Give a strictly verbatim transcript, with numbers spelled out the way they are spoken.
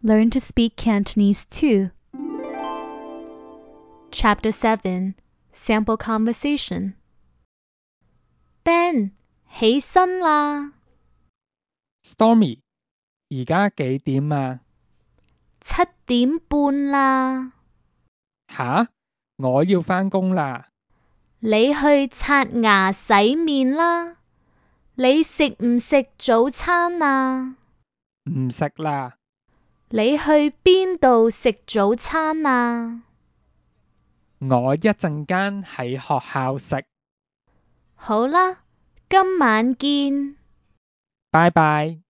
Learn to speak Cantonese too. Chapter seven. Sample Conversation. Ben, 起身啦 Stormy， 而家幾點啊？七點半啦。吓，我要返工啦。你去刷牙洗面啦。你食唔食早餐啊？唔食啦。你去邊度食早餐啊？我一陣間喺學校食。好啦，今晚見。拜拜。